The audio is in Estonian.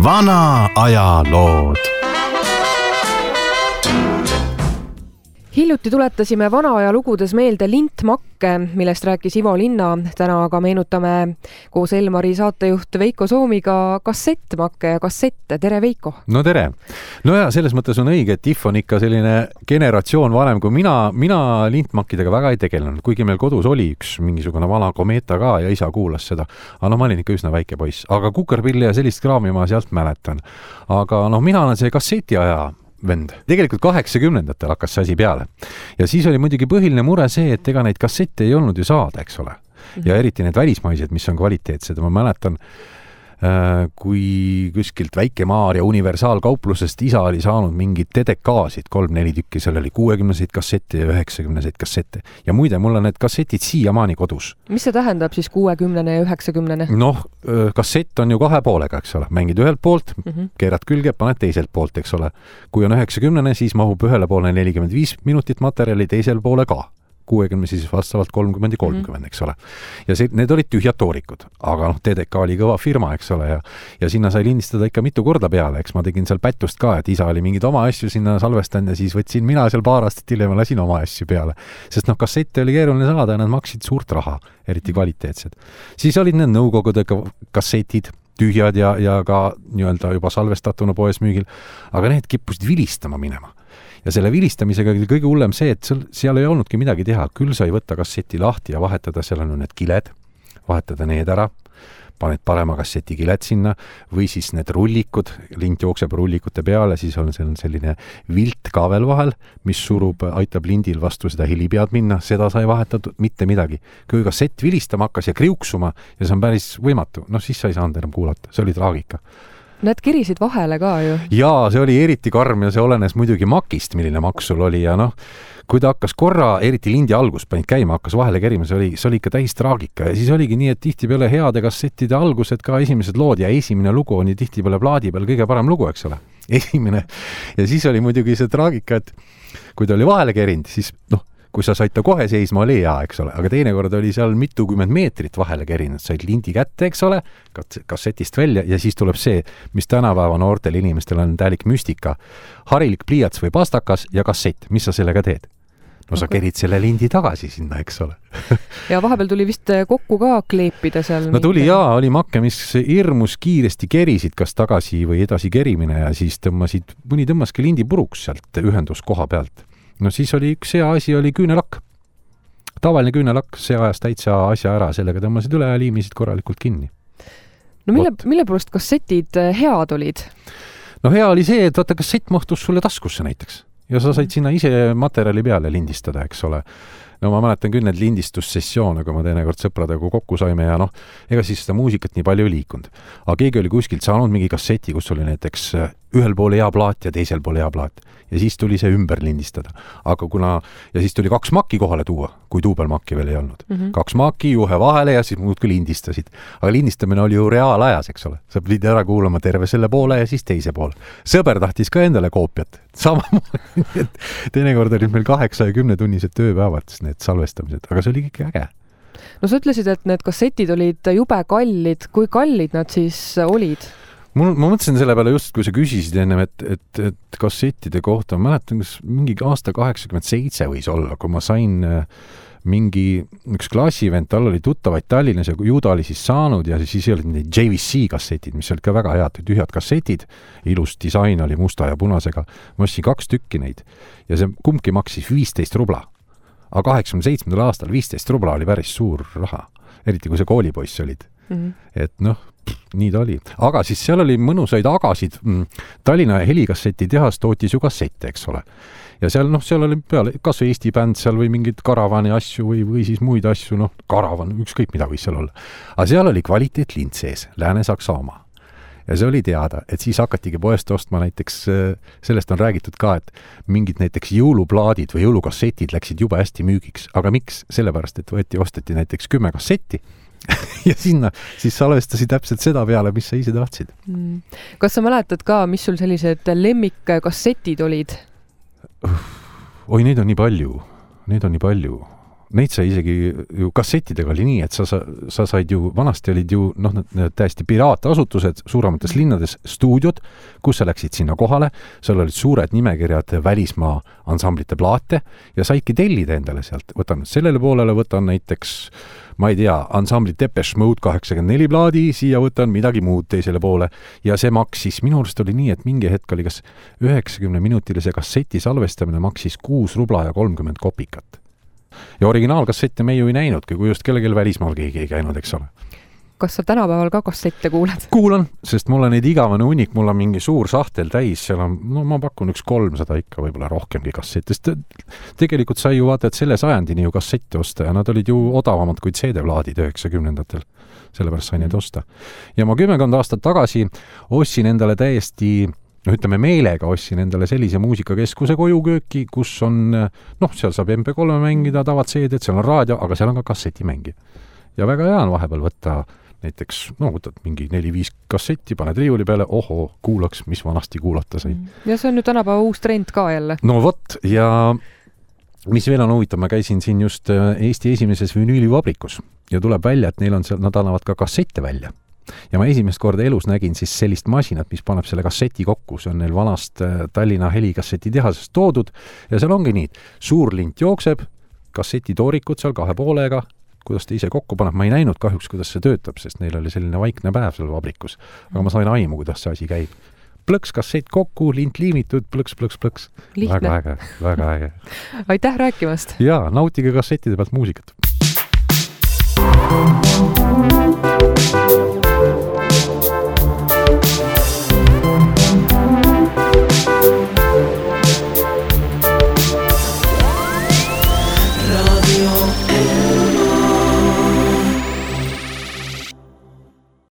Vana aja lood. Hiljuti tuletasime vana aja lugudes meelde lintmakke, millest rääkis Ivo Linna. Täna aga meenutame koos Elmari saatejuht Veiko Soomiga kassettmakke ja kassette. Tere, Veiko! No tere! No ja selles mõttes on õige, et IF on ikka selline generatsioon vanem kui mina lintmakkidega väga ei tegelenud, kuigi meil kodus oli üks mingisugune vana Kometa ka ja isa kuulas seda. Aga ma olin ikka üsna väike poiss. Aga kukerpilli ja sellist kraami ma sealt mäletan. Aga mina olen see kasseti aja vend. Tegelikult 80-ndatel hakkas see asi peale. Ja siis oli muidugi põhiline mure see, et ega neid kassette ei olnud ju saada, eks ole. Ja eriti need välismaised, mis on kvaliteetsed. Ma mäletan, kui kuskilt Väike-Maarja universaalkauplusest isa oli saanud mingid TDK-sid, 3-4 tükki, seal oli 60-seid kassette ja 90-seid kassette. Ja muide, mul on need kassetid siiamaani kodus. Mis see tähendab siis 60 ja 90? Noh, kassett on ju 2 poolega, eks ole. Mängid ühelt poolt, keerad külge, paned teiselt poolt, eks ole. Kui on 90, siis mahub ühele poole 45 minutit materjali, teisel poole ka. 60 siis vastavalt 30 ja 30, eks ole. Ja need olid tühjad toorikud, aga TDK oli kõva firma, eks ole, ja sinna sai lindistada ikka mitu korda peale, eks ma tegin seal pättust ka, et isa oli mingid oma asju sinna salvestanud ja siis võtsin mina seal paar aastat hiljem lasin oma asju peale. Sest kassette oli keeruline saada ja nad maksid suurt raha, eriti kvaliteetsed. Siis olid need nõukogude kassetid, tühjad ja ka nii-öelda juba salvestatuna poes müügil, aga need kippusid vilistama minema. Ja selle vilistamisega oli kõige hullem see, et seal ei olnudki midagi teha. Küll sai võtta kasseti lahti ja vahetada, seal on need kiled, vahetada need ära, paned parema kasseti kiled sinna või siis need rullikud, lint jookseb rullikute peale, siis on selline vilt ka veel vahel, mis aitab lindil vastu seda helipead minna, seda sai vahetatud, mitte midagi. Kui kassett vilistama hakkas ja kriuksuma ja see on päris võimatu, siis sa ei saanud enam kuulata, see oli traagika. Need kirisid vahele ka ju. Jaa, see oli eriti karm ja see olenes muidugi makist, milline maks sul oli ja kui ta hakkas korra, eriti lindi algus panid käima, hakkas vahele kerima, see oli ikka täis traagika ja siis oligi nii, et tihtipeale heade kassettide algused ka esimesed lood ja esimene lugu on tihtipeale plaadi peal kõige parem lugu, eks ole. Esimene. Ja siis oli muidugi see traagika, et kui ta oli vahele kerinud, siis kui sa said ta kohe seisma, oli hea, eks ole, aga teinekord oli seal mitukümmend meetrit vahele kerinud, said lindi kätte, eks ole, kassetist välja ja siis tuleb see, mis tänapäeva noortel inimestel on täielik müstika. Harilik pliiats või pastakas ja kassett, mis sa sellega teed? Sa kerid selle lindi tagasi sinna, eks ole. Ja vahepeal tuli vist kokku ka kleepida seal. Tuli oli makke, mis hirmus kiiresti kerisid kas tagasi või edasi kerimine ja siis mõni tõmmaski lindi puruks sealt ühenduskoha pealt. Siis oli üks hea asi, oli küünelakk. Tavaline küünelakk, see ajas täitsa asja ära, sellega tõmmasid üle ja liimisid korralikult kinni. Mille poolest kassetid head olid? Hea oli see, et kassett mahtus sulle taskusse näiteks. Ja sa said sinna ise materjali peale lindistada, eks ole. Ma mäletan küll need lindistussessioone, kui ma teinekord sõpradega kokku saime ja ega siis seda muusikat nii palju ei liikunud. Aga keegi oli kuskilt saanud mingi kasseti, kus oli näiteks ühel pool hea plaat ja teisel pool hea plaat. Ja siis tuli see ümber lindistada. Ja siis tuli 2 maki kohale tuua, kui duubelmakki veel ei olnud. 2 maki juhe vahele ja siis muudki lindistasid. Aga lindistamine oli ju reaalajas, eks ole. Sa pidid ära kuulama terve selle poole ja siis teise poole. Sõber tahtis ka endale koopiat. Samamoodi, et teinekord olid meil 8 ja 10 tunnised tööpäevad need salvestamised, aga see oli ikka äge. Sa ütlesid, et need kassetid olid jube kallid. Kui kallid nad siis olid? Ma mõtlesin selle peale just, kui sa küsisid ennem, et kassettide kohta, ma mäletan, kas mingi aasta 87 võis olla, kui ma sain üks klassivend, tal oli tuttavaid Tallinnas ja ju ta oli siis saanud ja siis olid need JVC kassetid, mis olid ka väga head, tühjad kassetid, ilus disain oli musta ja punasega. Ma ostsin 2 tükki neid ja see kumbki maksis 15 rubla. Aga 87. aastal 15 rubla oli päris suur raha, eriti kui sa koolipoiss olid. Et nii ta oli. Aga siis seal oli mõnusaid agasid. Tallinna helikasseti tehas tootis ju kassette, eks ole. Ja seal oli peale kas Eesti bänd seal või mingid karavani asju või siis muid asju, karavan, ükskõik mida võis seal olla. Aga seal oli kvaliteet lint sees, Lääne-Saksa oma. Ja see oli teada, et siis hakatigi poest ostma näiteks, sellest on räägitud ka, et mingid näiteks jõuluplaadid või jõulukassetid läksid juba hästi müügiks. Aga miks? Sellepärast, et osteti näiteks 10 kassetti ja sinna siis salvestasid täpselt seda peale, mis sa ise tahtsid. Kas sa mäletad ka, mis sul sellised lemmikkassetid olid? Oi, neid on nii palju. neid sai isegi ju kassettidega oli nii, et sa said ju, vanasti olid ju täiesti piraatasutused suuremates linnades stuudiod, kus sa läksid sinna kohale, seal olid suured nimekirjad välismaa ansamblite plaate ja saidki tellida endale sealt. Võtan sellele poolele, võtan näiteks, ma ei tea, ansambli Depeche Mode 84 plaadi, siia võtan midagi muud teisele poole ja see maksis, minu arust oli nii, et mingi hetk oli kas 90-minutilise kasseti salvestamine maksis 6 rubla ja 30 kopikat. Ja originaalkassette me ju ei näinudki, kui just kellelgi välismaal keegi ei käinud, eks ole. Kas sa tänapäeval ka kassette kuulad? Kuulan, sest mul on neid igavane unik, mul on mingi suur sahtel täis, seal on, ma pakun üks 300 ikka võib-olla rohkemgi kassette. Tegelikult sai ju vaata, et selle sajandini ju kassette osta ja nad olid ju odavamad kui CD-plaadid 90-ndatel. Sellepärast sai neid osta. Ja ma 10 aastat tagasi ostsin endale täiesti ütleme meelega ostsin endale sellise muusikakeskuse kojukööki, kus on, seal saab MP3 mängida, tavad CD-d, seal on raadio, aga seal on ka kassetimängi. Ja väga hea on vahepeal võtta näiteks, võtad mingi 4-5 kassetti, paned riiuli peale, kuulaks, mis vanasti kuulata sai. Ja see on nüüd tänapäeva uus trend ka jälle. No vot, ja mis veel on huvitav, ma käisin siin just Eesti esimeses vinüülivabrikus ja tuleb välja, et neil on seal, nad annavad ka kassette välja. Ja ma esimest korda elus nägin siis sellist masinat, mis paneb selle kasseti kokku. See on neil vanast Tallinna helikasseti tehasest toodud ja seal ongi nii, suur lint jookseb, kassetitoorikud seal 2 poolega, kuidas ta ise kokku paneb. Ma ei näinud kahjuks, kuidas see töötab, sest neil oli selline vaikne päev seal vabrikus. Aga ma sain aimu, kuidas see asi käib. Plõks kassett kokku, lint liimitud, plõks. Lihtne. Väga äge. Aitäh rääkimast! Ja, nautige kassettide pealt muusikat.